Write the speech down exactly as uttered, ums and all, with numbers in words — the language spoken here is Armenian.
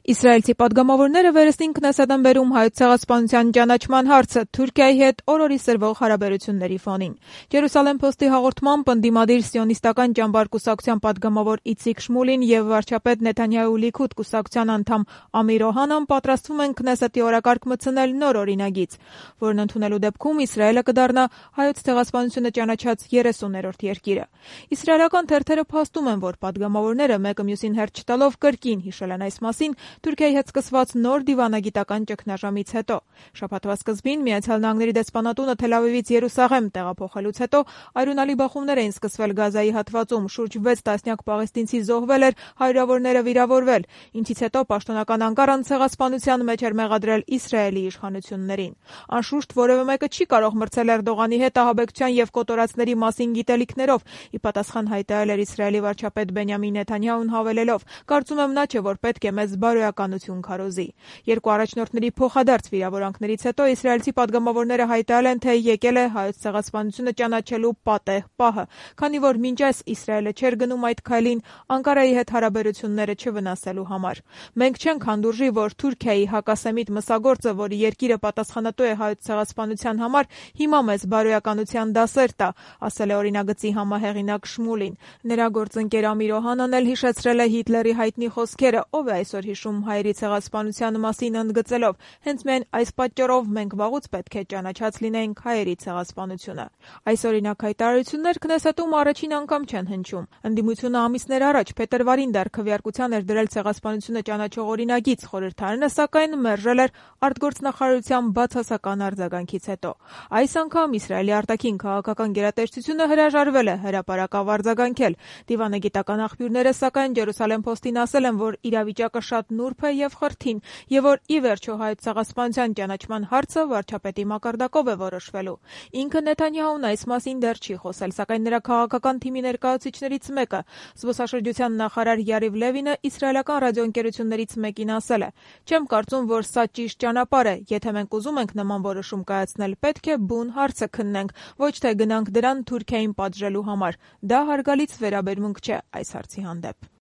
Իսրայելցի պատգամավորները վերստին Քնեսեթ են բերում Հայոց ցեղասպանության ճանաչման հարցը Թուրքիայի հետ օր-օրի սրվող հարաբերությունների ֆոնին։ Ջերուսալեմ Փոստի հաղորդմամբ ընդդիմադիր սիոնիստական ճամբար կուսակցության պատգամավոր Իցիկ Շմուլին եւ վարչապետ Նեթանյահու Լիքուդ կուսակցության անդամ Ամիր Օհանան պատրաստվում են Քնեսեթի օրակարգ մտցնել նոր օրինագիծ, որն ընդունելու դեպքում Իսրայելը կդառնա Հայոց ցեղասպանությունը ճանաչած երեսուներորդ երկիրը։ Իսրայելական թերթերը փաստում են, որ պատգամավորները մեկը մյուսին հերթ չտալով կրկին հիշել են այս մասին Թուրքիայի հետ սկսված նոր դիվանագիտական ճգնաժամից հետո։ Շաբաթվա սկզբին Միացյալ Նահանգների դեսպանատունը Թել Ավիվից Երուսաղեմ տեղափոխելուց հետո այրունալի բախումներ էին սկսվել Գազայի հատվածում, շուրջ վեց տասնյակ պաղեստինցի զոհվել էր, հարյուրավորները վիրավորվել, ինչից հետո պաշտոնական Անկարան ցեղասպանության մեջ էր մեղադրել Իսրայելի իշխանություններին։ Անշուշտ որևէ մեկը չի կարող մրցել Էրդողանի հետ ահաբեկչության եւ կոտորածների մասին գիտելիքներով, ի պատասխան հայտարարել էր Իսրայելի վարչապետ Բենյամին Նեթանյահուն հավելելով. «Կարծում եմ նա չէ, որ պետք է մեզ բարոյականություն քարոզի»։ Երկու առաջնորդների փոխադարձ վիրավորանքներից հետո իսրայելցի պատգամավորները հայտարարել են, թե եկել է Հայոց ցեղասպանությունը ճանաչելու պատեհ պահը, քանի որ մինչ այս Իսրայելը չէր գնում այդ քայլին Անկարայի հետ հարաբերությունները չվնասելու համար։ «Մենք չենք հանդուրժի, որ Թուրքիայի հակասեմիտ մսագործը, որի երկիրը պատասխանատու է Հայոց ցեղասպանության համար, հիմա մեզ բարոյականության դասեր տա», ասել է օրինագծի համահեղինակ Շմուլին։ Նրա գործընկեր Ամիր Օհանան էլ հիշեցրել է Հիտլերի հայտնի խոսքերը, ով է այսօր հիշում հայերի ցեղասպանության մասին, ընդգծելով. «Հենց միայն այս պատճառով մենք վաղուց պետք է ճանաչած լինեինք հայերի ցեղասպանությունը»։ Այս օրինակ հայտարարություններ Քնեսեթում առաջին անգամ չեն հնչում։ Ընդդիմությունը ամիսներ առաջ փետրվարին դեռ քվեարկության էր դրել ցեղասպանությունը ճանաչող օրինագիծ, խորհրդարանը սակայն մերժել էր արտգործնախարարության բացասական արձագանքից հետո։ Այս անգամ Իսրայելի արտաքին քաղաքական գերատեսչությունը հրաժարվել է հրապարակավ արձագանքել։ Դիվանագիտական աղբյուրները սակայն Ջերուսալեմ Փոստին ասել են, որ իրավիճակը շատ նուրբ է եւ խրթին, եւ որ ի վերջո Հայոց ցեղասպանության ճանաչման հարցը վարչապետի մակարդակով է որոշվելու։ Ինքը Նեթանյահուն այս մասին դեռ չի խոսել, սակայն նրա քաղաքական թիմի ներկայացուցիչներից մեկը, զբոսաշրջության նախարար Յարիվ Լևինը, իսրայելական ռադիոընկերություններից մեկին ասել է. «Չեմ կարծում, որ սա ճիշտ ճանապարհ է։ Եթե մենք ուզում ենք նման որոշում կայացնել, պետք է բուն հարցը քննենք, ոչ թե գնանք դրան Թուրքիային պատժելու համար։ Դա հարգալից վերաբերմունք չէ այս հարցի հանդեպ»։